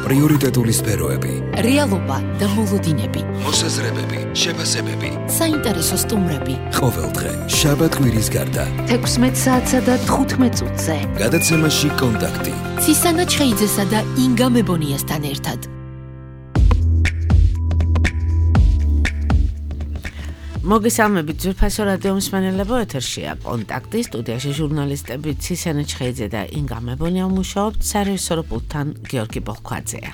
პრიორიტეტული სფეროები, რეალობა და მოლოდინები, მოსაზრებები, შეფასებები, საინტერესო სტუმრები. ყოველდღე შაბათ-კვირის გარდა 16 საათსა და 15 წუთზე. გადაცემაში კონტაქტი. ცისანა ჩხეიძესა და ინგა მებონიასთან ერთად. მოგესალმებით ძვირფასო რადიო მსმენელებო, ეთერშია კონტაქტი, სტუდიაში ჟურნალისტები ცისანა ჩხეიძე და ინგა მებონია მუშაობთ, სარეჟისორო პულტთან გიორგი ბოლქვაძეა.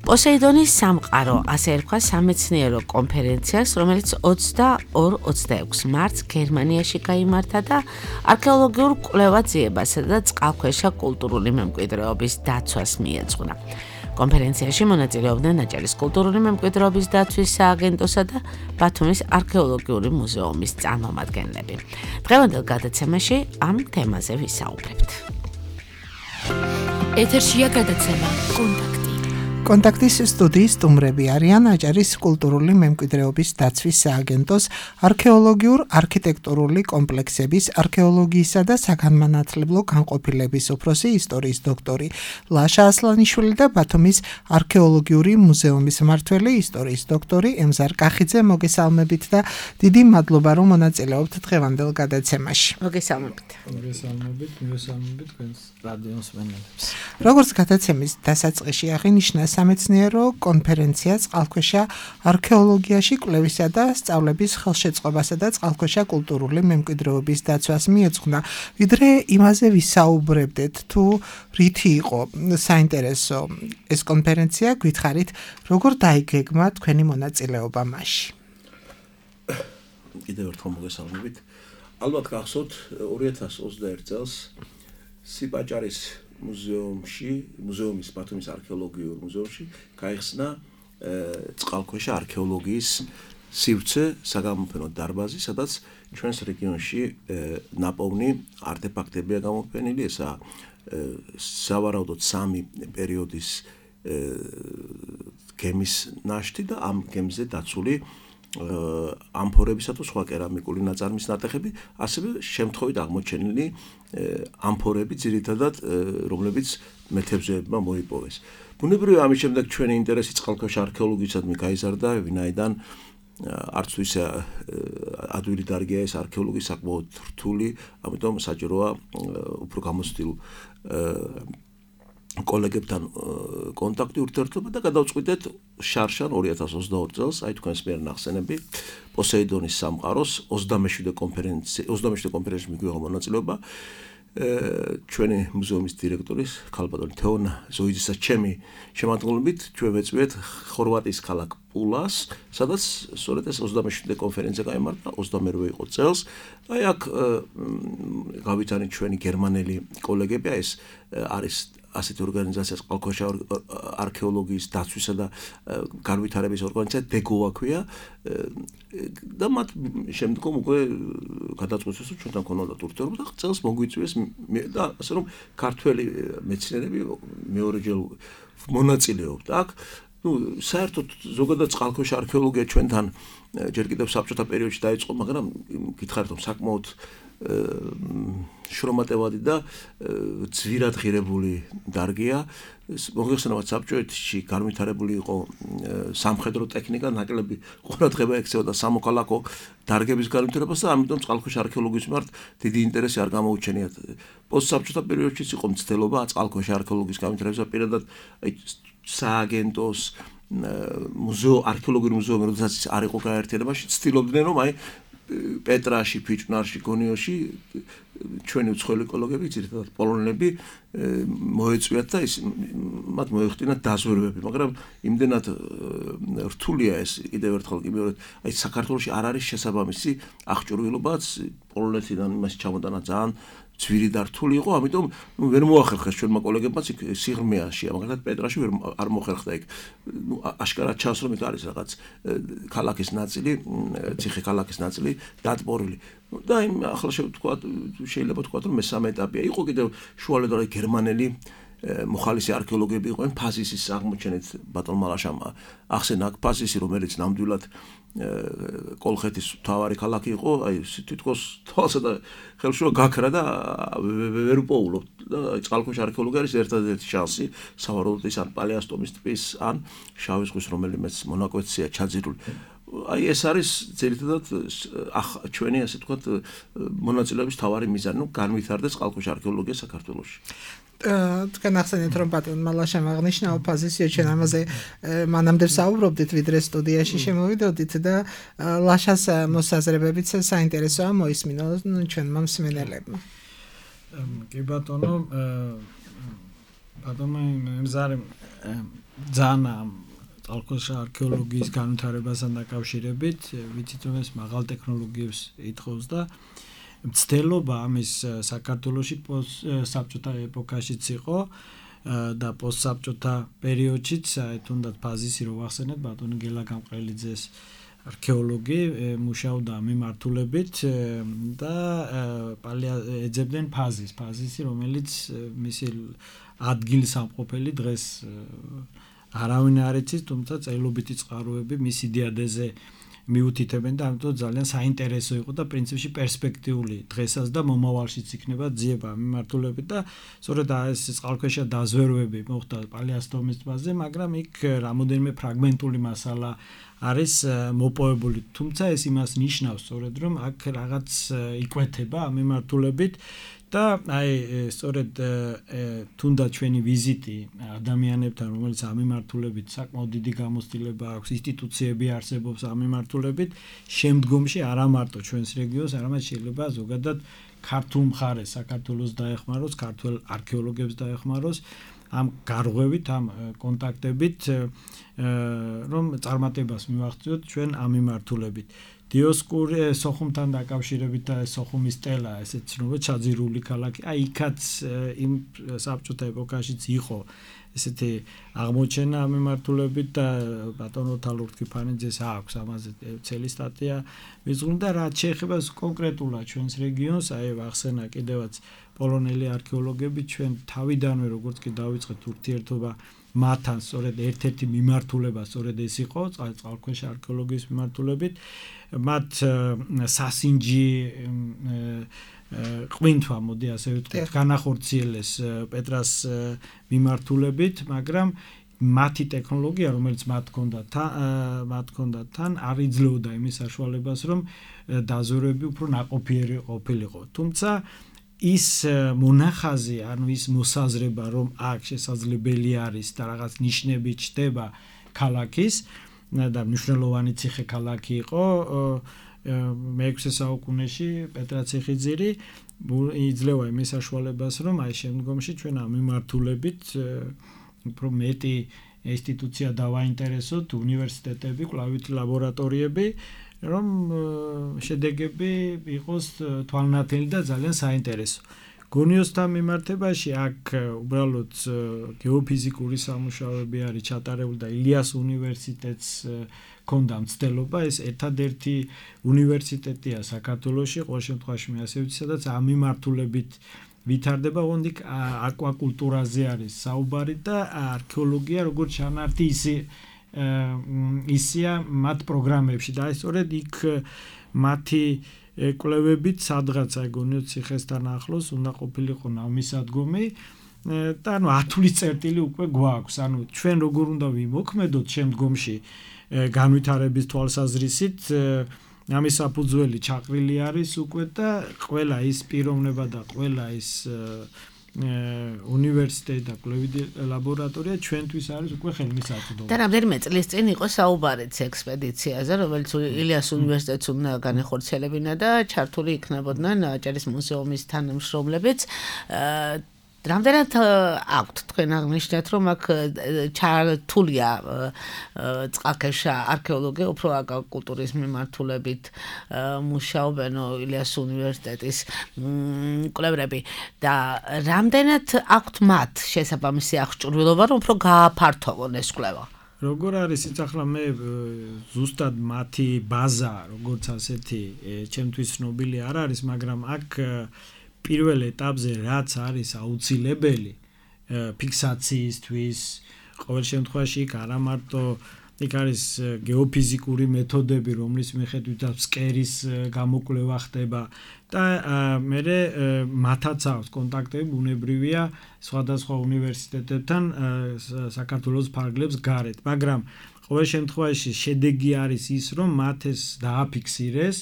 პოსეიდონის სამყარო, ასე ერქვა სამეცნიერო კონფერენციას, რომელიც 22-26 მარტს გერმანიაში გაიმართა და არქეოლოგიურ კვლევას ძიებასა და წყალქვეშა კულტურული მემკვიდრეობის დაცვას მიეძღვნა. კონფერენციაში მონაწილეობდნენ აჭარის კულტურული მემკვიდრეობის დაცვის სააგენტოსა და ბათუმის არქეოლოგიური მუზეუმის წარმომადგენლები. დღევანდელ გადაცემაში ამ თემაზე ვისაუბრებთ. ეთერშია გადაცემა კონტაქტი. კონტაქტის სტუდიის სტუმრები არიან აჭარის კულტურული მემკვიდრეობის დაცვის სააგენტოს არქეოლოგიურ-არქიტექტურული კომპლექსების არქეოლოგიისა და საგანმანათლებლო განყოფილების უფროსი ისტორიის დოქტორი ლაშა ასლანიშვილი და ბათუმის არქეოლოგიური მუზეუმის მმართველი ისტორიის დოქტორი ემზარ კახიძე. მოგესალმებით და დიდი მადლობა რომ მონაწილეობთ დღევანდელ გადაცემაში. მოგესალმებით. მოგესალმებით თქვენს რადიო მსმენელებს. როგორც გადაცემის დასაწყისში აღინიშნა, სამეცნიერო კონფერენცია წყალქვეშა არქეოლოგიაში კვლევისა და სწავლების ხელშეწყობასა და წყალქვეშა კულტურული მემკვიდრეობის დაცვას მიეძღვნა. ვიდრე იმაზე ვისაუბრებდეთ, თუ რითი იყო საინტერესო ეს კონფერენცია, გითხარით, როგორ დაიგეგმა თქვენი მონაწილეობა მასში. კიდევ ერთხელ მოგესალმებით. ალბათ გახსოვთ 2021 წელს სიპაჭარის მუზეუმის ბათუმის არქეოლოგიურ მუზეუმში გაიხსნა წყალქვეშა არქეოლოგიის სივრცე საგამოფენო დარბაზი, სადაც ჩვენს რეგიონში ნაპოვნი არტეფაქტებია გამოფენილი. ესაა სავარაუდოდ 3 პერიოდის გემის ნაშთი და ამ გემზე დაცული ამფორებისა თუ სხვა კერამიკული ნაწარმის ნატეხები, ასევე შემთხვევით აღმოჩენილი ამფორები, ძირითადად რომლებიც მეთევზეებმა მოიპოვეს. ბუნებრივია, ამის შემდეგ ჩვენი ინტერესი წყალქვეშა არქეოლოგიისადმი გაიზარდა, ვინაიდან არც თუ ისე ადვილი დარგია ეს არქეოლოგია საკმაოდ რთული, ამიტომ საჭიროა უფრო გამოცდილ კოლეგებთან კონტაქტი, ურთიერთობა და გადავწყვიტეთ შარშან 2022 წელს, აი თქვენს მიერ ნახსენები, პოსეიდონის სამყაროს 27 კონფერენციაში მიგვიღო მონაწილეობა. ჩვენი მუზეუმის დირექტორის ქალბატონი თეონა ზოიძისა ჩემი შემადგენლობით ჩვენ ვეწვიეთ ხორვატიის ქალაქ პულას, სადაც სწორედ ეს 27 კონფერენცია გაიმართა 22 იყო წელს. აი აქ გავითანით ჩვენი გერმანელი კოლეგები, ეს არის ასეთი ორგანიზაცია წყალქვეშა არქეოლოგიის დაცვისა და განვითარების ორგანიზაცია დეგოვა ქვია და მათ შემდგომ უკვე გადაწყვეტეს რომ ჩვენთან ქონოდათ ურთიერთობა და წელს მოგვიწვიეს და ასე რომ ქართველი მეცნიერები მეორეჯერ მონაწილეობთ აქ. საერთოდ ზოგადად წყალქვეშა არქეოლოგია ჩვენთან ჯერ კიდევ საბჭოთა პერიოდში დაიწყო, მაგრამ გითხარით რომ საკმაოდ შრომატევადი და ძვირად ღირებული დარგია. მოგეხსენებათ, საბჭოეთში განვითარებული იყო სამხედრო ტექნიკა, ნაკლები ყურადღება ექცეოდა სამოქალაქო დარგების განვითარებას და ამიტომ წყალქვეშა არქეოლოგიის მიმართ დიდი ინტერესი არ გამოუჩენიათ. პოსტსაბჭოთა პერიოდშიც იყო მცდელობა წყალქვეშა არქეოლოგიის განვითარებისა, პირადად სააგენტოს არქეოლოგიური მუზეუმი, როდესაც არ იყო გაერთიანებაში, ცდილობდნენ რომ აი პეტრაში, ფიჭვნარში, გონიოში ჩვენი უცხოელი კოლეგები, ძირითადად პოლონელები მოეწვიათ და მათ მოეხდინათ დაზვერვები, მაგრამ იმდენად რთულია ეს კიდევ ერთხელ კი მეორე, აი საქართველოში არ არის შესაბამისი აღჭურვილობაც პოლონეთიდან იმას ჩამოტანა ძალიან ძვირი და რთული იყო, ამიტომ ვერ მოახერხეს ჩვენმა კოლეგებმაც იქ სიღრმეაშია, მაგალითად პეტრაში არ მოხერხდა იქ. აშკარად ჩანს რომ იქ არის რაღაც ქალაქის ნაწილი, ციხე ქალაქის ნაწილი დატბორილი. და ახლა შეიძლება თქვა რომ მესამე ეტაპია. იყო კიდევ შუალედური გერმანელი მოხალისი არქეოლოგები იყვნენ ფაზისის აღმოჩენით ბატონ მალაშამ ახსენა ფაზისი რომელიც ნამდვილად კოლხეთის მთავარი ქალაქი იყო აი თითქოს თვალსა და ხელშუა გაქრა და ვერ უპოულობ და წყალქვეშა არქეოლოგია არის ერთადერთი შანსი სავარაუდოდ ის ან პალეასტომის ტბის ან შავი ზღვის რომელიმეც მონაკვეთია ჩაძირული აი ეს არის ძირითადად ჩვენი ასე ვთქვათ მონაწილეობის მთავარი მიზანი ნუ განვითარდეს წყალქვეშა არქეოლოგია საქართველოში თქვენ ახსენეთ რომ ბატონ მალაშამ აღნიშნა ოპოზიცია ჩვენ ამაზე მანამდე საუბრობდით ვიდრე სტუდიაში შემოვიდოდით და ლაშას მოსაზრებებიც საინტერესოა მოისმინონ ჩვენმა მსმენელებმა კი ბატონო მზარი ძალიან წყალქვეშა არქეოლოგიის განვითარებასთან დაკავშირებით ვიცით რომ ეს მაღალ ტექნოლოგიებს ითხოვს და მცდელობა ამის საქართველოში საბჭოთა ეპოქაშიც იყო და პოსტსაბჭოთა პერიოდშიც თუნდაც ფაზისი რო ვახსენეთ ბატონი გელა გამყრელიძეს არქეოლოგი მუშაობდა მიმართულებით და ეძებდნენ ფაზისი რომელიც მისი ადგილსამყოფელი დღეს არავინ არ იცის თუმცა წელობითი წყაროები მისი დიადეზე მიუთითებენ და ამიტომ ძალიან საინტერესო იყო და პრინციპში პერსპექტიული დღესაც და მომავალშიც იქნება ძიება მიმართულებით და სწორედ ეს წყალქვეშა დაზვერვები მოხდა პალეასტომის ტბაზე, მაგრამ იქ რამოდენიმე ფრაგმენტული მასალა არის მოპოვებული. თუმცა ეს იმას ნიშნავს სწორედ რომ აქ რაღაც იკვეთება ამ მიმართულებით და აი სწორედ თუნდაც ჩვენი ვიზიტი ადამიანებთან რომელიც ამ მიმართულებით საკმაოდ დიდი გამოცდილება აქვს ინსტიტუციები არსებობს ამ მიმართულებით შემდგომში არა მარტო ჩვენს რეგიონს არამედ შეიძლება ზოგადად ქართულ მხარეს საქართველოს დაეხმაროს ქართულ არქეოლოგებს დაეხმაროს ამ გარღვევით ამ კონტაქტებით რომ წარმატებას მივაღწიოთ ჩვენ ამ მიმართულებით დიოსკური სოხუმთან დაკავშირებით და სოხუმის სტელა ესეც ცნობა ჩაძირული ქალაქი აი იქაც იმ საბჭოთა ეპოქაშიც იყო ესეთი აღმოჩენა ამ მიმართულებით და ბატონო თალურთი ფანიძეს აქვს ამაზე ცელი სტატია მიზღუნ და რაც შეეხება კონკრეტულად ჩვენს რეგიონს აი ვახსენა კიდევაც პოლონელი არქეოლოგები ჩვენ თავიდანვე როგორც კი დავიწყეთ ურთიერთობა მათთან სწორედ ერთ-ერთი მიმართულება სწორედ ეს იყო წყალქვეშა არქეოლოგიის მიმართულებით მათ სასინჯი ყვინთვა მოდი ასე ვიტყვით განახორციელეს პეტრას მიმართულებით მაგრამ მათი ტექნოლოგია რომელიც მათ ჰქონდათ თან არ იძლეოდა იმის საშუალებას რომ დაზვერვები უფრო ნაყოფიერი ყოფილიყო თუმცა ის მონახაზი ანუ ის მოსაზრება რომ აქ შესაძლებელი არის და რაღაც ნიშნები ჩდება ქალაქის და მნიშვნელოვანი ციხე ქალაქი იყო მე-6 საუკუნეში პეტრაციხიძირი იძლევა იმის საშუალებას რომ აი შემდგომში ჩვენ ამ მიმართულებით უფრო მეტი ინსტიტუცია დავაინტერესოთ უნივერსიტეტები კვლავითი ლაბორატორიები რომ შედეგები იყოს თვალნათელი და ძალიან საინტერესო. გონიოსთან მიმართებაში აქ უბრალოდ გეოფიზიკური სამუშაოები არის ჩატარებული და ილიას უნივერსიტეტს ქონდა მცდელობა ეს ერთადერთი უნივერსიტეტია საქართველოში ყოველ შემთხვევაში მე ასე ვიცი სადაც ამ მიმართულებით ვითარდება ოღონდ აკვაკულტურაზე არის საუბარი და არქეოლოგია როგორც შანართი ისია მათ პროგრამებში და სწორედ იქ მათი კვლევებით სადღაც აი გონიოთ ციხესთან ახლოს უნდა ყოფილიყო ნავმისადგომი და ანუ 10 წლის წერტილი უკვე გვაქვს ანუ ჩვენ როგორ უნდა ვიმოქმედოთ შემდგომში განვითარების თვალსაზრისით ამის საფუძველი ჩაყრილი არის უკვე და ყველა ის პიროვნება და ყველა ის უნივერსიტეტი და კვლევითი ლაბორატორია ჩვენთვის არის უკვე ხელმისაწვდომი. და რამდენიმე წლის წინ იყო საუბარიც ექსპედიციაზე, რომელიც ილიას უნივერსიტეტს უნდა განეხორციელებინა და ჩართული იქნებოდნენ აჭარის მუზეუმის თანამშრომლებიც. რამდენად აქვთ თქვენ აღნიშნეთ რომ აქ ჩართულია წყალქვეშა არქეოლოგია უფრო აკულტურის მიმართულებით მუშაობენ ილიას უნივერსიტეტის კვლევრები და რამდენად აქვთ მათ შესაბამისი აღჭურვილობა რომ უფრო გააფართოვონ ეს კვლევა როგორ არის იცი ახლა მე ზუსტად მათი ბაზა როგორც ასეთი ჩემთვის ცნობილი არ არის მაგრამ აქ პირველ ეტაპზე რაც არის აუცილებელი ფიქსაციისთვის, ყოველ შემთხვევაში იქ არა მარტო იქ არის გეოფიზიკური მეთოდები, რომლის მიხედვითაც ფსკერის გამოკვლევა ხდება და მე მათაც აქვს კონტაქტები, ბუნებრივია სხვადასხვა უნივერსიტეტებთან საქართველოს ფარგლებს გარეთ, მაგრამ ყოველ შემთხვევაში შედეგი არის ის, რომ მათ ეს დააფიქსირეს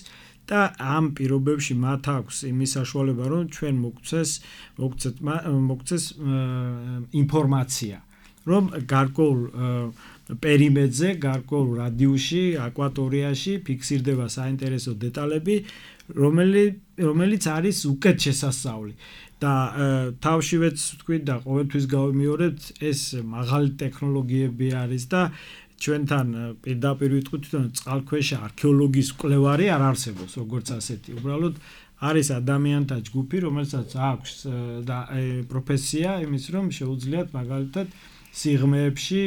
და ამ პირობებში მათ აქვს იმის საშუალება, რომ ჩვენ მოგცეს ინფორმაცია, რომ გარკვეულ პერიმეტრზე, გარკვეულ რადიუსში, აკვატორიაში ფიქსირდება საინტერესო დეტალები, რომელიც არის უკეთ შესასწავლი. და თავშივეც ვთქვი და ყოველთვის გავიმეორებთ, ეს მაღალი ტექნოლოგიები არის და ჩვენთან პირდაპირ ვიტყვით, რომ წყალქვეშა არქეოლოგიის კვლევარი არ არსებობს, როგორც ასეთი. უბრალოდ არის ადამიანთა ჯგუფი, რომელსაც აქვს და პროფესია იმის, რომ შეუძლიათ მაგალითად სიღრმეებში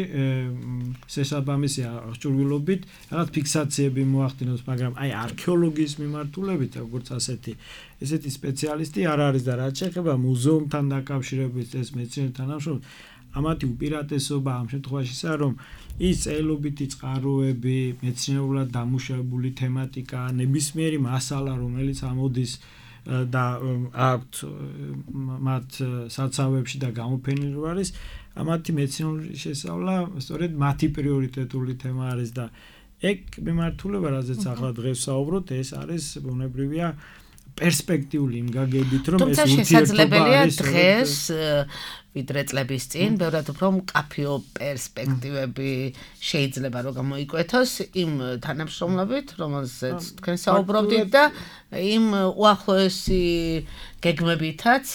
შესაბამისი აღჭურვილობით რაღაც ფიქსაციები მოახდინოს, მაგრამ აი არქეოლოგიის მიმართულებით როგორც ესეთი სპეციალისტი არ არის და რაც შეეხება მუზეუმთან დაკავშირებით ეს მეცნიერთა თანამშრომლობა, ამათი უპირატესობა ამ შემთხვევაში ისაა, რომ ის წერილობითი წყაროები, მეცნიერულად დამუშავებული თემატიკა, ნებისმიერი მასალა, რომელიც ამოდის და აქვთ მათ საცავებში და გამოფენილი არის, ამათი მეცნიერული შესწავლა სწორედ მათი პრიორიტეტული თემა არის და ეგ მიმართულება, რაზეც ახლა დღეს ვსაუბრობთ, ეს არის ბუნებრივია პერსპექტიული იმ გაგებით, რომ ეს შესაძლებელია დღეს ვიდრე წლების წინ, ბევრად უფრო მკაფიო პერსპექტივები შეიძლება რომ გამოიკვეთოს იმ თანამშრომლობით, რომელზეც თქვენ საუბრობდით და იმ უახლოესი გეგმებითაც,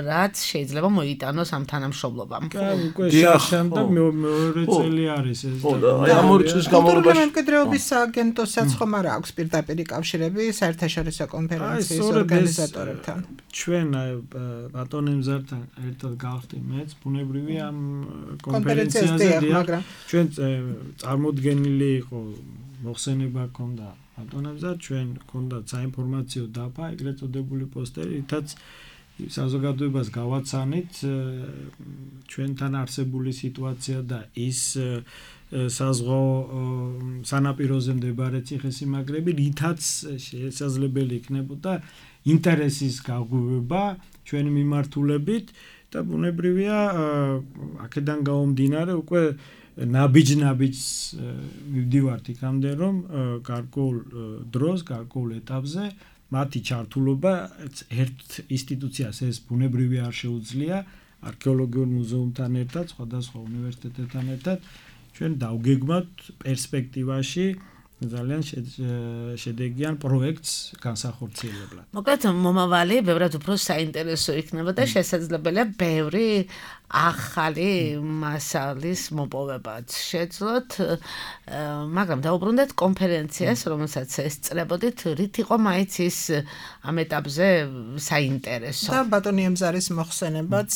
რაც შეიძლება მოიტანოს ამ თანამშრომლობამ. უკვე შემდეგ მეორე წელი არის ეს. აი ამ ორი წლის განმავლობაში მემკვიდრეობის სააგენტოსაც ხომ არ აქვს პირდაპირ კავშირები საერთაშორისო კონფერენციის ორგანიზატორებთან. ჩვენ ბატონემზართან ერთად გავხდით მეც ბუნებრივია ამ კონფერენციაზე დიახ, ჩვენ წარმოდგენილი იყო მოხსენება ქონდა ბატონემზარ, ჩვენ ქონდა საინფორმაციო დაფა, ეგრეთ წოდებული პოსტერი, რითაც საზოგადოებას გავაცანით ჩვენთან არსებული სიტუაცია და ის საზღვაო სანაპიროზე მდებარე ციხესიმაგრები, რითაც შესაძლებელი იქნებოდა ინტერესის გაგვივება ჩვენი მიმართულებით და ბუნებრივია აქედან გამომდინარე უკვე ნაბიჯ-ნაბიჯს მივდივართ იქამდე, რომ გარკვეულ დროს, გარკვეულ ეტაპზე მათი ჩართულობა ერთ ინსტიტუციას ეს ბუნებრივი არ შეუძლია, არქეოლოგიურ მუზეუმთან ერთად, სხვადასხვა უნივერსიტეტებთან ერთად ჩვენ დავგეგმავთ პერსპექტივაში ძალიან შედეგიან პროექტს განსახორციელებლად. მოკლედ მომავალი ბევრად უფრო საინტერესო იქნება და შესაძლებელია ბევრი ახალი მასალის მოპოვებაც შეძლოთ, მაგრამ დაუბრუნდეთ კონფერენციას, რომელსაც ესწრებოდით, რით იყო მაინც ის ამ ეტაპზე საინტერესო. და ბატონი ემზარის მოხსენებაც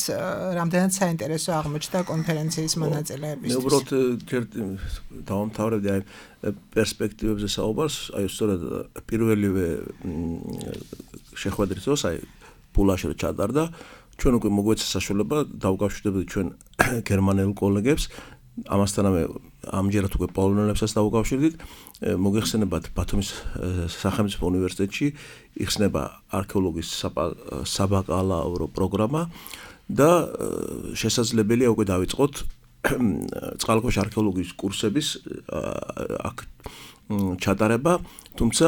რამდენად საინტერესო აღმოჩნდა კონფერენციის მონაწილეებისთვის. მე უბრალოდ დავამთავრებდი აი პერსპექტივებზე საუბარს, აი სწორედ პირველივე შეხვედრის დროს აი პულაში ჩატარდა, ჩვენ უკვე მოგვეცა საშუალება დავუკავშირდებოდით ჩვენ გერმანელ კოლეგებს, ამასთანავე ამჯერად უკვე პოლონელებსაც დავუკავშირდით, მოგეხსენებათ ბათუმის სახელმწიფო უნივერსიტეტში იხსნება არქეოლოგიის საბაკალავრო პროგრამა და შესაძლებელია უკვე დავიწყოთ წყალქვეშა არქეოლოგიის კურსების აქ ჩატარება, თუმცა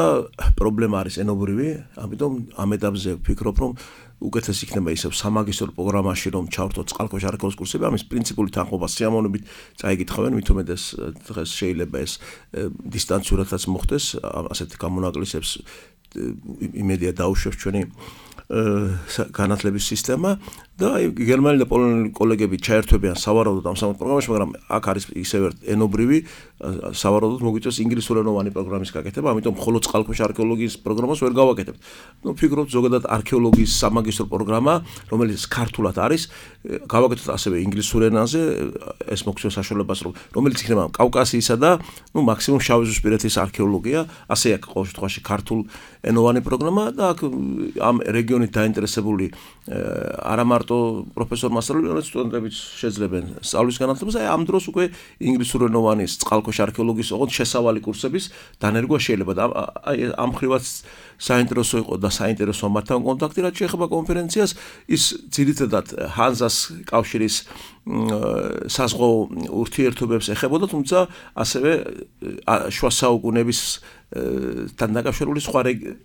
პრობლემა არის ენობრივი, ამიტომ ამ ეტაპზე ვფიქრობ, რომ უკეთეს იქნება ისევ სამაგისტრო პროგრამაში რომ ჩავრთოთ წყალქვეშა არქეოლოგიის კურსები, ამის პრინციპული თანხმობა სიამოვნებით წაიგითხავენ, მithumedes დღეს შეიძლება ეს დისტანციურადაც მოხდეს, ასეთ გამონაკლისებს იმედია დაუშვებს ჩვენი განათლების სისტემა და გერმანელი და პოლონელი კოლეგები ჩაერთვებიან სავარაუდოდ ამ სამოთ პროგრამაში, მაგრამ აქ არის ისევ ენობრივი სავარაუდოდ მოგვიწევს ინგლისურენოვანი პროგრამის გაკეთება, ამიტომ მხოლოდ წყალქვეშა არქეოლოგიის პროგრამას ვერ გავაკეთებთ. ნუ ფიქრობთ ზოგადად არქეოლოგიის სამაგისტრო პროგრამა, რომელიც ქართულად არის, გავაკეთოთ ასევე ინგლისურ ენაზე, ეს მოგცემს საშუალებას, რომელიც იქნება კავკასიისა და ნუ მაქსიმუმ შავიზღვისპირეთის არქეოლოგია, ასე აქ ყოველ შემთხვევაში ქართულ ენოვანი პროგრამა და აქ ამ რეგიონით დაინტერესებული არა მარტო პროფესორ მასწავლებელი, არამედ სტუდენტებიც შეძლებენ სწავლის განათლებას, აი ამ დროს უკვე ინგლისურენოვანი წყალქვეშა არქეოლოგიის ოღონდ შესავალი კურსების დანერგვა შეიძლება და აი ამ ხრივაც საინტერესო იყო და საინტერესო მათთან კონტაქტი, რაც შეეხება კონფერენციას, ის ძირითადად ჰანზას კავშირის საზღვაო ურთიერთობებს ეხებოდა, თუმცა ასევე შუა საუკუნეების თან დაკავშირებული სხვა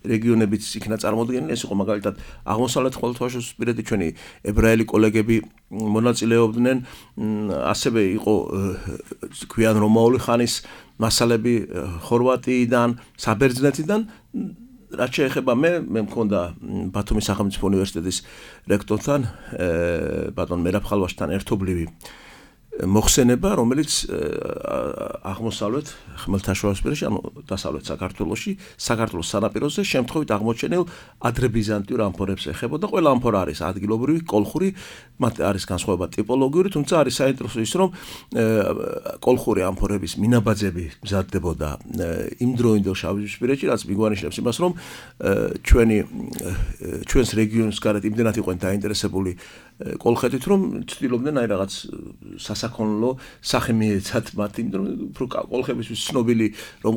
რეგიონებიც იქნა წარმოდგენილი, ეს იყო მაგალითად აღმოსავლეთ ხმელთაშუაზღვისპირეთი, ჩვენი ებრაელი კოლეგები მონაწილეობდნენ, ასევე იყო ქვიან რომაული ხანის მასალები ხორვატიიდან, საბერძნეთიდან, რაც შეეხება მე მქონდა ბათუმის სახელმწიფო უნივერსიტეტის რექტორთან, ბატონ მერაბ ხალვაშთან ერთობლივი მოხსენება, რომელიც აღმოსავლეთ ხმელთაშუაზღვისპირეთში, ანუ დასავლეთ საქართველოს სანაპიროზე შემთხვევით აღმოჩენილ ადრებიზანტიურ ამფორებს ეხებოდა. ყველა ამფორა არის ადგილობრივი, კოლხური, მათ არის განსხვავება ტიპოლოგიური, თუმცა არის საინტერესო ის, რომ კოლხური ამფორების მინაბაძები მზადდებოდა იმდროინდელ შავიზღვისპირეთში, რაც მიგვანიშნებს იმას, რომ ჩვენს რეგიონს გარეთ იმდენად იყვნენ დაინტერესებული კოლხეთით, რომ ცდილობდნენ აი რაღაც სასაქონლო სახე მიეცათ მათ, იმიტომ რომ უფრო კოლხებისთვის ცნობილი რომ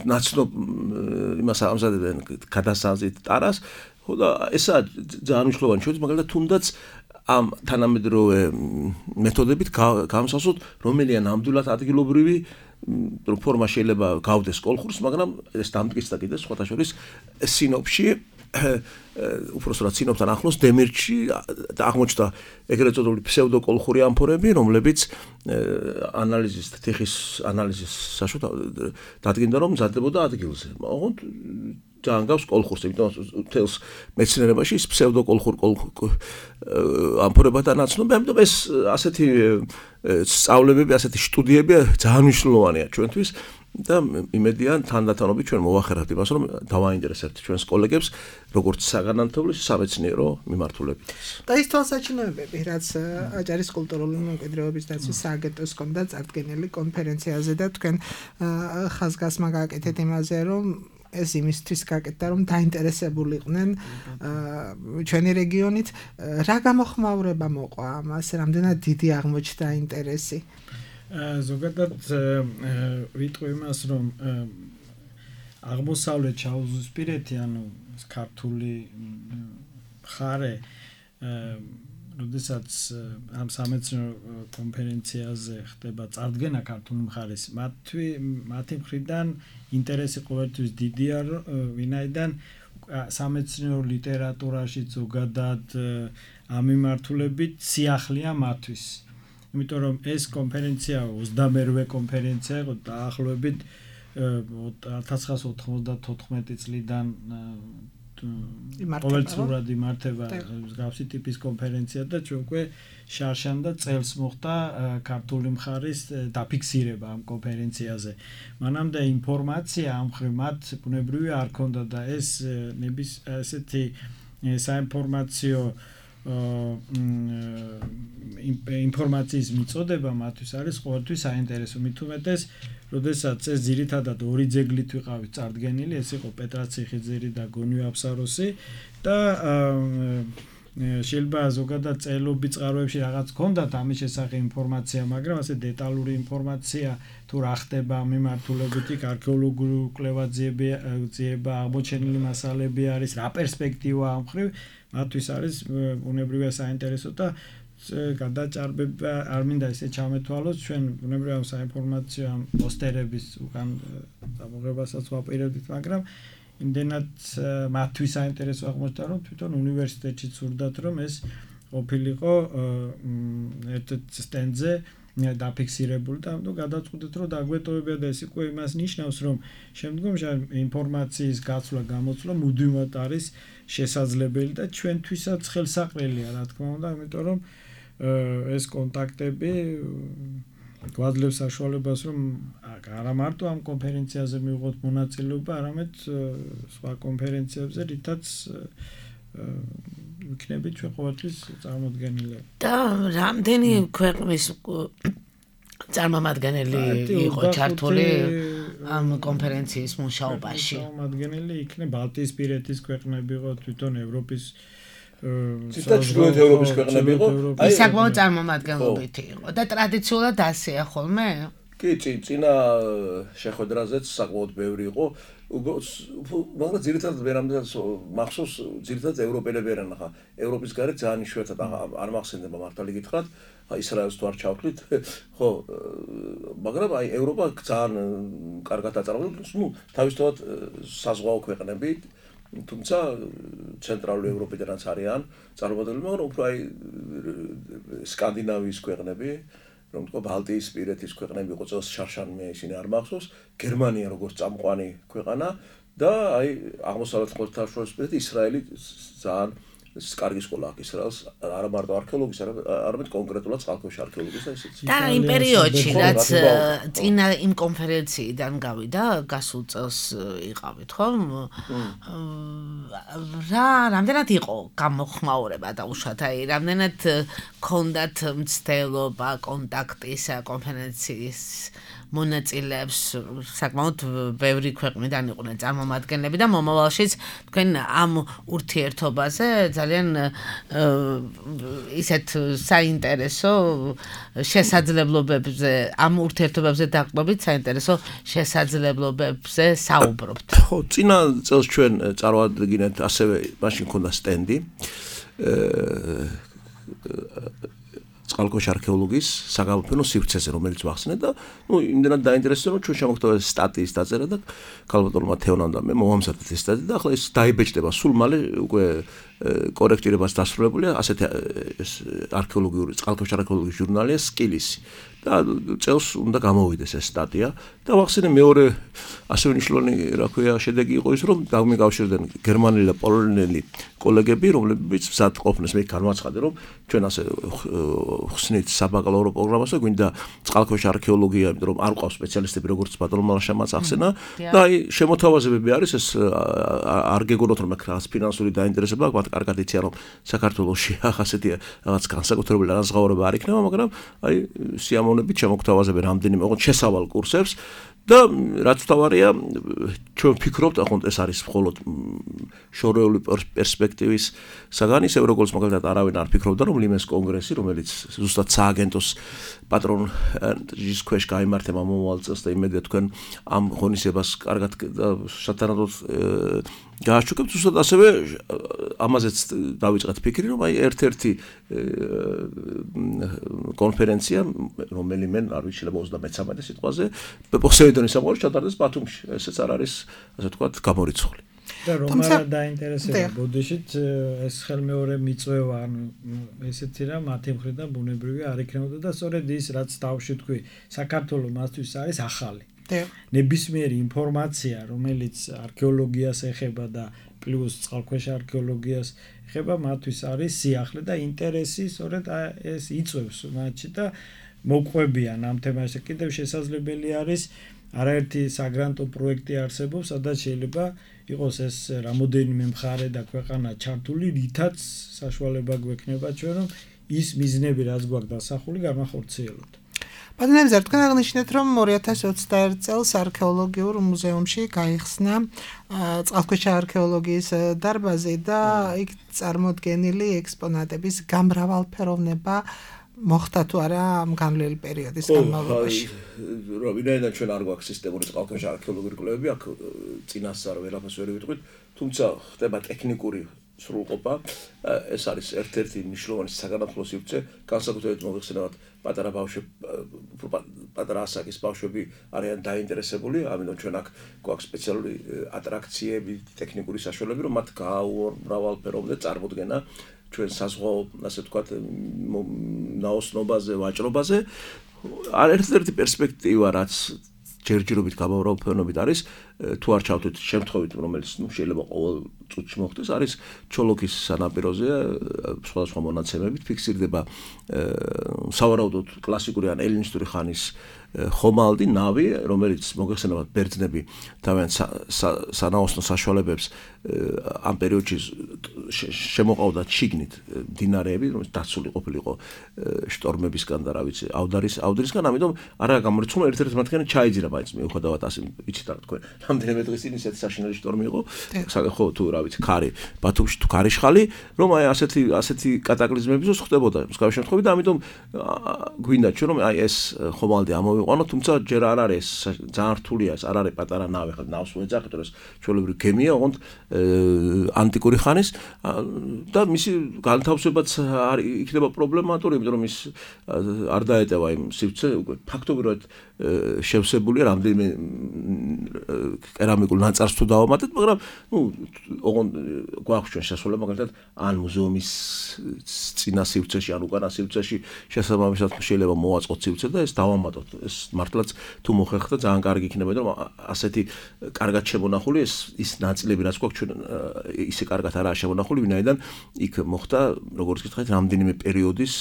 ნაცნობ იმას ამზადებდნენ გადასაზით ტარას, ხო და ესაა ძალიან მნიშვნელოვანი ჩვენთვის, მაგალითად თუნდაც ამ თანამედროვე მეთოდებით გამოსასოთ, რომელია ნამდვილად ადგილობრივი ფორმა შეიძლება გავდეს კოლხურს, მაგრამ ეს დამტკიცდა კიდე სხვათა შორის სინოპში, უпростоრად სინოპთან ახლოს დემირჩი აღმოჩნდა ეგრეთ წოდებული ფსევდოკოლხური ამფორები, რომლებიც თიხის ანალიზის საშუალებით დადგინდა, რომ მზადდებოდა ადგილზე. ოღონდ ძალიან გავს კოლხურს, იმიტომ თელს მეცნიერებაში ის ფსევდოკოლხურ ამფორებად ანაცნობენ, ამიტომ ეს ასეთი სწავლებები, ასეთი სტუდიები ძალიან მნიშვნელოვანია ჩვენთვის. და იმედია თანდათანობით ჩვენ მოვახერხებთ იმას, რომ დავაინტერესებთ ჩვენს კოლეგებს, როგორც საგანმანათლებლო, სამეცნიერო მიმართულებით. და ის თვალსაჩინოებები, რაც აჭარის კულტურული მემკვიდრეობის დაცვის სააგენტოს ჰქონდა წარდგენილი კონფერენციაზე და თქვენ ხაზგასმა გააკეთეთ იმაზე, რომ ეს იმისთვის გაკეთდა, რომ დაინტერესებულიყვნენ ჩვენი რეგიონით, რა გამოხმაურება მოყვა ამას, რამდენად დიდი აღმოჩნდა ინტერესი? ზოგადად ვიტყვი იმას, რომ აღმოსავლეთ შავიზღვისპირეთი, ანუ ქართული მხარე, როდესაც ამ სამეცნიერო კონფერენციაზე ხდება წარდგენა ქართული მხარის, მათი მხრიდან ინტერესი ყოველთვის დიდია, ვინაიდან სამეცნიერო ლიტერატურაში ზოგადად ამ მიმართულებით სიახლეა მათთვის. იმიტომ რომ ეს კონფერენცია 28-ვე კონფერენცია იყო დაახლოებით 1994 წლიდან ყოველწლიურად იმართება მსგავსი ტიპის კონფერენცია და ჩვენ უკვე შარშან და წელს მოხდა ქართული მხარის დაფიქსირება ამ კონფერენციაზე. მანამდე ინფორმაცია ამ მხრივ მათ ბუნებრივი არ ქონდა და ეს ესეთი საინფორმაციო ინფორმაციის მიწოდება მათთვის არის ყოველთვის საინტერესო. მით უმეტეს, როდესაც ეს ძირითადად ორი ძეგლით ვიყავით წარდგენილი, ეს იყო პეტრაციხიძირი და გონიო აფსაროსი და შეიძლება ზოგადად წერილობი წყაროებში რაღაც ჰქონდათ ამის შესახებ ინფორმაცია, მაგრამ ასე დეტალური ინფორმაცია თუ რა ხდება მიმართულებით იქ არქეოლოგიური კვლევაძიება, აღმოჩენილი მასალები არის, რა პერსპექტივა ამ მხრივ მათთვის არის ბუნებრივია საინტერესო და გადაჭარბება არ მინდა ესე ჩამეთვალოს, ჩვენ ბუნებრივია საინფორმაციო ამ პოსტერების უკან ამოღებასაც ვაპირებდით, მაგრამ იმდენად მათთვის საინტერესო აღმოჩნდა, რომ თვითონ უნივერსიტეტში სურდათ, რომ ეს ყოფილიყო ერთ-ერთ სტენდზე დაფიქსირებული და ამიტომ გადაწყვეტეთ, რომ დაგვეტოვებია და ეს უკვე იმას ნიშნავს, რომ შემდგომში ინფორმაციის გაცვლა, გამოცვლა მუდმივად არის შესაძლებელი და ჩვენთვისაც ხელსაყრელია, რა თქმა უნდა, იმიტომ რომ ეს კონტაქტები გვაძლევს საშუალებას, რომ არა მარტო ამ კონფერენციაზე მივიღოთ მონაწილეობა, არამედ სხვა კონფერენციებზე, რითაც ვიქნებით ჩვენ ყოველთვის წარმოდგენილები. და რამდენი ქვეყნის წარმომადგენელი იყო ჩართული ამ კონფერენციის მუშაობაში. წარმომადგენელი იქნება ბალტიისპირეთის ქვეყნები იყო, თვითონ ევროპის ჩრდილოეთ ევროპის ქვეყნები იყო. აი საკმაოდ წარმომადგენლობითი იყო და ტრადიციულად ასეა ხოლმე? კი, წინა შეხვედრაზეც საკმაოდ ბევრი იყო. მაგრამ ძირითადად ვერამდე მახსოვს ძირითადად ევროპელები არიან ახლა ევროპის გარეთ ძალიან იშვიათად არ მახსენდება მართალი გითხრათ ისრაელს თუ არ ჩავთვლით ხო მაგრამ აი ევროპა ძალიან კარგად აწარმოებს თავისთავად საზღვაო ქვეყნები თუმცა ცენტრალური ევროპიდანაც არიან წარმოადგენლები მაგრამ უფრო აი სკანდინავიის ქვეყნები რომ თქვა ბალტიისპირეთის ქვეყნები იყო წელს შარშანმე ისინი არ მახსოვს გერმანია როგორც წამყვანი ქვეყანა და აი აღმოსავლეთ ხმელთაშუაზღვისპირეთი ისრაელი ძალიან კარგი სკოლა აქვს ისრაელს არა მარტო არქეოლოგიის არამედ კონკრეტულად წყალქვეშა არქეოლოგიის და ისიც და იმ პერიოდში რაც წინა იმ კონფერენციიდან გავიდა გასულ წელს იყავით ხო რამდენად იყო გამოხმაურება და უშუალოდ აი რამდენად ქონდათ მცდელობა კონტაქტისა კონფერენციის მონაწილეებს საკმაოდ ბევრი ქვეყნიდან იყვნენ წარმომადგენლები და მომავალშიც თქვენ ამ ურთიერთობაზე ძალიან ისეთ საინტერესო შესაძლებლობებზე ამ ურთიერთობებზე დაყრდნობით საინტერესო შესაძლებლობებზე საუბრობთ. ხო, წინა წელს ჩვენ წარვადგინეთ ასევე მაშინ ქონდა სტენდი წყალქვეშა არქეოლოგიის საგამოფენო სივრცეზე რომელიც ვახსენე და იმდენად დაინტერესდა რომ ჩვენ შემოგთავაზეთ სტატიის დაწერა და ქალბატონმა თეონამ და მე მოვამზადეთ ეს სტატია და ახლა ეს დაიბეჭდება სულ მალე უკვე კორექტირებას დასრულებულია ასეთი არქეოლოგიური წყალქვეშა არქეოლოგიის ჟურნალია სკილისი და წელს უნდა გამოვიდეს ეს სტატია და ვახსენე მეორე ასე მნიშვნელოვანი რა ქვია შედეგი იყო ის რომ გამიკავშირდნენ გერმანელი და პოლონელი კოლეგები რომლებიც მზად ყოფნეს მე განვაცხადე რომ ჩვენ ასე ხსნით საბაკალავრო პროგრამას და გვინდა წყალქვეშა არქეოლოგია იმიტომ რომ არ ყავს სპეციალისტები როგორც ბატონო მალაშამაც ახსენა და აი შემოთავაზებები არის ეს არ გეგონოთ რომ რაღაც ფინანსური დაინტერესება აქვს კარგად იციან რომ საქართველოში ახასეთი რაღაც განსაკუთრებული განსხვავება არ იქნება მაგრამ აი სიამოვნებით შემოგთავაზებენ რამდენიმე ოღონდ შესავალ კურსებს და რაც თავარია ჩვენ ვფიქრობთ ახლა ეს არის მხოლოდ შორეული პერსპექტივის საგანი ისე როგორც მაგალითად არავინ არ ფიქრობდა რომ ლიმეს კონგრესი რომელიც ზუსტად სააგენტოს პატრონის ქვეშ გაიმართება მომავალ წელს და იმედია თქვენ ამ ღონისებას კარგად და სათანადოდ გააჩუქებთ ზუსტად ასევე ამაზეც დავიწყეთ ფიქრი რომ აი ერთ-ერთი კონფერენცია რომელიმე არ ვიცი 33 სიტყვაზე პოსეიდონის სამყაროში ჩატარდეს ბათუმში ესეც არ არის ასე ვთქვათ გამორიცხული და რომ არა დაინტერესება ბოდიშით ეს ხელმეორე მიწვევა ანუ ესეთი რა მათი მხრიდან ბუნებრივი არ იქნებოდა და სწორედ ის რაც თავში თქვი საქართველოს მასთვის არის ახალი ნებისმიერი ინფორმაცია რომელიც არქეოლოგიას ეხება და პლუს წყალქვეშა არქეოლოგიას ეხება მათთვის არის სიახლე და ინტერესი სწორედ ეს იწვევს მათში და მოყვებიან ამ თემაზე კიდევ შესაძლებელი არის არაერთი საგრანტო პროექტი არსებობს სადაც შეიძლება იყოს ეს რამოდენიმე მხარე და ქვეყანა ჩართული რითაც საშუალება გვექნება ჩვენ რომ ის მიზნები რაც გვაქვს დასახული გამახორციელოთ ბატონო თქვენ აღნიშნეთ რომ 2021 წელს არქეოლოგიურ მუზეუმში გაიხსნა წყალქვეშა არქეოლოგიის დარბაზი და იქ წარმოდგენილი ექსპონატების გამრავალფეროვნება მოხდა თუ არა ამ განვლილი პერიოდის განმავლობაში. რა ვინაიდან ჩვენ არ გვაქვს სისტემური წყალქვეშა არქეოლოგიური კვლევები, აქ წინასწარ ვერაფერს ვერ ვიტყვით, თუმცა ხდება ტექნიკური სრულყოფა. ეს არის ერთ-ერთი მნიშვნელოვანი საგანმანათლებლო სივრცე, განსაკუთრებით მოიხსენებათ პატარა ბავშვები, პატარა ასაკის ბავშვები არიან დაინტერესებული, ამიტომ ჩვენ აქ გვაქვს სპეციალური ატრაქციები, ტექნიკური საშუალებები, რომ მათ გაუმრავალფეროვნდეთ წარმოდგენა ჩვენ საზღვაო, ასე ვთქვათ, ნაოსნობაზე, ვაჭრობაზე. ერთ-ერთი პერსპექტივა, რაც ჯერჯერობით გამავრავალფეროვნებით არის, თუ არ ჩავთვით შემთხვევით რომელიც შეიძლება ყოველ წუთში მოხდეს არის ჩოლოქის სანაპიროზეა სხვადასხვა მონაცემებით ფიქსირდება სავარაუდოდ კლასიკური ან ელინისტური ხანის ხომალდი ნავი რომელიც მოგეხსენებათ ბერძნები თავიანთ სანაოსნო საშუალებებს ამ პერიოდში შემოყავდათ შიგნით მდინარეები რომელიც დაცული ყოფილიყო შტორმებისგან და რა ვიცი ავდრისგან ამიტომ არა გამორიცხული ერთ-ერთი მათგანი ჩაიძირა მაინც მიუხედავად ასე იცით რა თქვენ რამდენიმე დღის წინ ისეთი საშინელი შტორმი იყო ხო თუ რა ვიცი ქარი ბათუმში თუ ქარიშხალი რომ აი ასეთი კატაკლიზმებიც ხდებოდა მსგავსი შემთხვევით და ამიტომ გვინდა ჩვენ რომ აი ეს ხომალდი ამოვიყვანოთ თუმცა ჯერ არ არის ძალიან რთულია ეს არ არის პატარა ნავი ხა ნავს ვეძახით რომ ეს ჩვეულებრივი გემია ოღონდ ანტიკური ხანის და მისი განთავსებაც იქნება პრობლემატური იმიტომ რომ ის არ დაეტევა იმ სივრცე უკვე ფაქტობრივად შევსებულია რამდენიმე კერამიკულ ნაწარს თუ დავამატეთ მაგრამ ოღონდ გვაქვს ჩვენ შესაძლებლობა მაგალითად ან მუზეუმის წინა სივრცეში ან უკანა სივრცეში შესაბამისად შეიძლება მოვაწყოთ სივრცე და ეს დავამატოთ ეს მართლაც თუ მოხერხდა ძალიან კარგი იქნება რომ ასეთი კარგად შემონახული ის ნაწილები რაც გვაქვს ჩვენ ისე კარგად არაა შემონახული ვინაიდან იქ მოხდა როგორც გითხარით რამდენიმე პერიოდის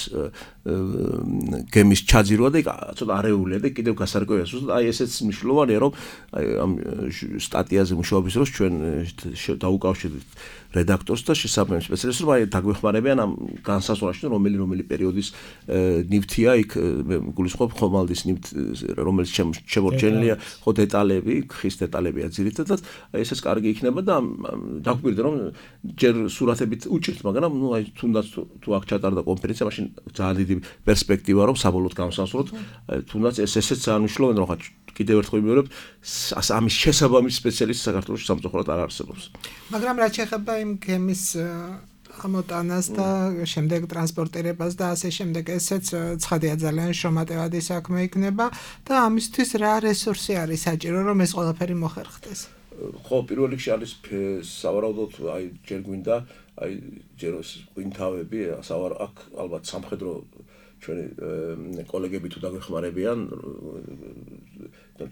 გემის ჩაძირვა და იქ ცოტა არეულია და კიდევ გასარკვევია ზუსტად აი ესეც მნიშვნელოვანია რომ აი ამ სტატიაზე მუშაობის დროს ჩვენ დაუკავშირდით რედაქტორს და შესაბამის სპეციალისტს რომ აი დაგვეხმარებიან ამ განსაზღვრაში რომელი პერიოდის ნივთია იქ გულისხმობ ხომალდის ნივთ რომელიც შემორჩენილია ხო დეტალები ხის დეტალებია ძირითადად აი ესეც კარგი იქნება და დაგვირდა რომ ჯერ სურათებით უჭირთ მაგრამ ნუ აი თუნდაც თუ აქ ჩატარდა კონფერენცია მაშინ ძალიან დიდი პერსპექტივა რომ საბოლოოდ განსაზღვროთ თუნდაც ესეც ძალიან მნიშვნელოვანია რომ ხა კიდევ ერთხელ ვიმეორებ ამის შესაბამის სპეციალისტი საქართველოს სამწუხაროდ არ არსებობს მაგრამ რაც შეეხება იმ გემის ამოტანას და შემდეგ ტრანსპორტირებას და ასე შემდეგ ესეც ცხადია ძალიან შრომატევადი საქმე იქნება და ამისთვის რა რესურსი არის საჭირო რომ ეს ყველაფერი მოხერხდეს ხო პირველ რიგში არის სავარაუდოდ აი ჯერ გვინდა აი ჯერ გვინთავები აქ ალბათ სამხედრო ჩვენი კოლეგები თუ დაგვეხმარებიან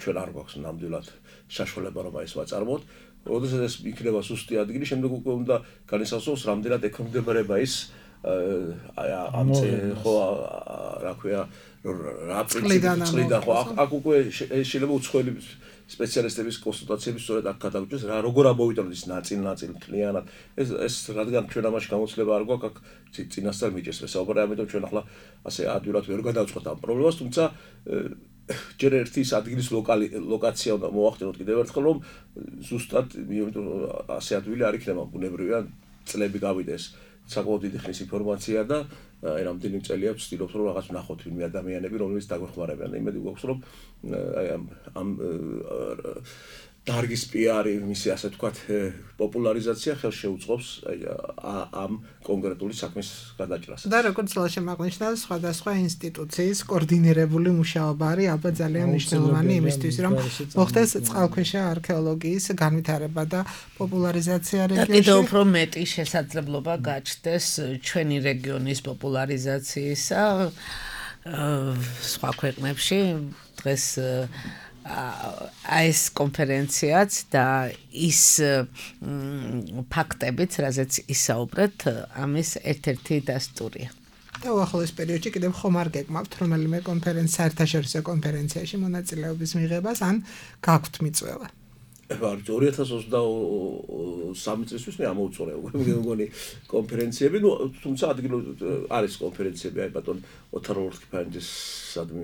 ჩვენ არ გვაქვს ნამდვილად საშუალება რომ ეს ვაწარმოოთ როდესაც ეს იქნება სუსტი ადგილი შემდეგ უკვე უნდა განისაზღვროს რამდენად ექვემდებარება ის ამ ხო რა ქვია რა პრინციპი ხო აქ უკვე შეიძლება უცხოელი სპეციალისტების კონსულტაციების სწორედ აქ გადავიჭრეს რა როგორ ამოვიტანოთ ის ნაწილ მთლიანად ეს რადგან ჩვენ ამაში გამოცდილება არ გვაქვს აქ წინასწარ მიჭერს საუბარი ამიტომ ჩვენ ახლა ასე ადვილად ვერ გადავწყვეტ ამ პრობლემას თუმცა ჯერ ერთი ის ადგილის ლოკაცია უნდა მოახდინოთ კიდევ ერთხელ რომ ზუსტად იმიტომ ასე ადვილი არ იქნება ბუნებრივია წლები გავიდეს საკმაოდ დიდი ხნის ინფორმაცია და აი რამდენი წელია ვცდილობთ რომ რაღაც ვნახოთ ვინმე ადამიანები რომლებიც დაგვეხმარებიან იმედი გვაქვს რომ აი ამ დარგის პიარი მისი ასე ვთქვათ პოპულარიზაცია ხელს შეუწყობს ამ კონკრეტული საქმის გადაჭრას. და როგორც შემაღნიშნა სხვადასხვა ინსტიტუციის კოორდინირებული მუშაობა არის ალბათ ძალიან მნიშვნელოვანი იმისთვის რომ მოხდეს წყალქვეშა არქეოლოგიის განვითარება და პოპულარიზაცია რეგიონში. კიდევ უფრო მეტი შესაძლებლობა გაჩნდეს ჩვენი რეგიონის პოპულარიზაციისა სხვა ქვეყნებში დღეს ეს კონფერენციაც და ის ფაქტებიც, რაზეც ისაუბრეთ, ამის ერთ-ერთი დასტურია. და უახლოეს პერიოდში კიდევ ხომ არ გეკმავთ რომელიმე საერთაშორისო კონფერენციაში მონაწილეობის მიღებას ან გაქვთ მიწვევა? 2023 წლისთვის მე ამოუწურე უკვე მეგონი კონფერენციები, ну, თუმცა ადგილობრივ არის კონფერენციები, აი ბატონ ოთარ ლორთქიფანიძის სადმე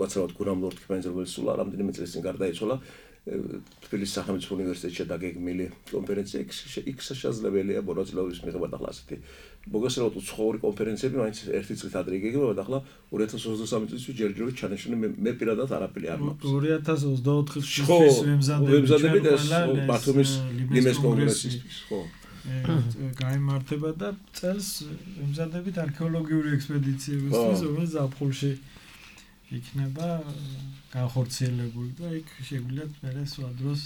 უაცრავად გურამ ლორთქიფანიძე რომელიც სულ რამდენიმე წელს წინ გარდაიცვალა თბილისის სახელმწიფო უნივერსიტეტში დაგეგმილი კონფერენცია იქ შესაძლებელია მონაწილეობის მიღება და ახლა ასეთი მოგესალმებით უცხოური კონფერენციები მაინც ერთი წლით ადრე იგეგმება და ახლა 2023 წლისთვის ჯერჯერობით ჩანიშნული მე პირადად არაფერი არ მაქვს 2024 წლის ვემზადებით ეს ბათუმის ლიმეს კონგრესისთვის ხო გაიმართება და წელს ვემზადებით არქეოლოგიური ექსპედიციებისთვის რომელიც ზაფხულში იქნება განხორციელებული და იქ შეგვიძლია მე სხვა დროს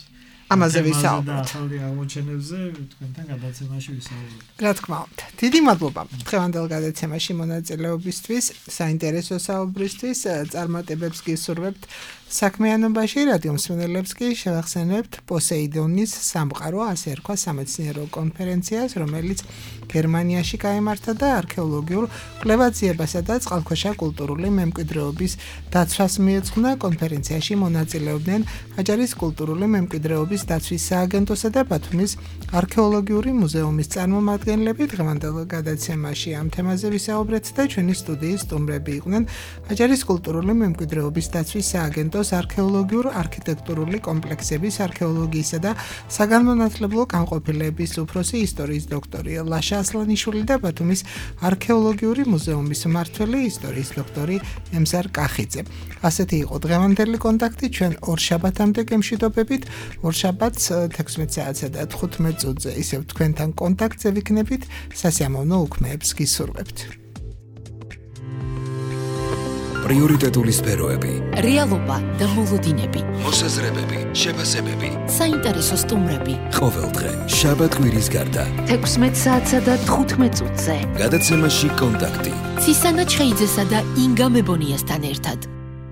ამაზე ვისაუბროთ. ახალი აღმოჩენებზე თქვენთან გადაცემაში ვისაუბროთ. რა თქმა უნდა. დიდი მადლობა დღევანდელ გადაცემაში მონაწილეობისთვის, საინტერესო საუბრისთვის, წარმატებებს გისურვებთ საქმიანობაში, რადიო მსმენელებს კი შევახსენებთ პოსეიდონის სამყარო, ასე ერქვა სამეცნიერო კონფერენციას, რომელიც გერმანიაში გაიმართა და არქეოლოგიურ კვლევაციებასა და წყალქვეშა კულტურული მემკვიდრეობის დაცვას მიეძღვნა. კონფერენციაში მონაწილეობდნენ აჭარის კულტურული მემკვიდრეობის დაცვის სააგენტოსა და ბათუმის არქეოლოგიური მუზეუმის წარმომადგენლები. დღევანდელ გადაცემაში ამ თემაზე ვისაუბრეთ და ჩვენი სტუდიის სტუმრები იყვნენ აჭარის კულტურული მემკვიდრეობის დაცვის სააგენტოს არქეოლოგიურ არქიტექტურული კომპლექსების არქეოლოგიისა და საგანმანათლებლო განყოფილების უფროსი ისტორიის დოქტორი ლაშა ასლანიშვილი და ბათუმის არქეოლოგიური მუზეუმის მმართველი ისტორიის დოქტორი ემზარ კახიძე. ასეთი იყო დღევანდელი კონტაქტი. ჩვენ ორშაბათამდე გემშვიდობებით. ორშაბათს 16 საათსა და 15 წუთზე ისევ თქვენთან კონტაქტზე ვიქნებით. სასიამოვნო უქმეებს გისურვებთ. პრიორიტეტული სფეროები, რეალობა და მოლოდინები, მოსაზრებები, შეფასებები, საინტერესო სტუმრები. ყოველდღე შაბათ კვირის გარდა 16 საათსა და 15 წუთზე. გადაცემაში კონტაქტი. ცისანა ჩხეიძესა და ინგა მებონიასთან ერთად.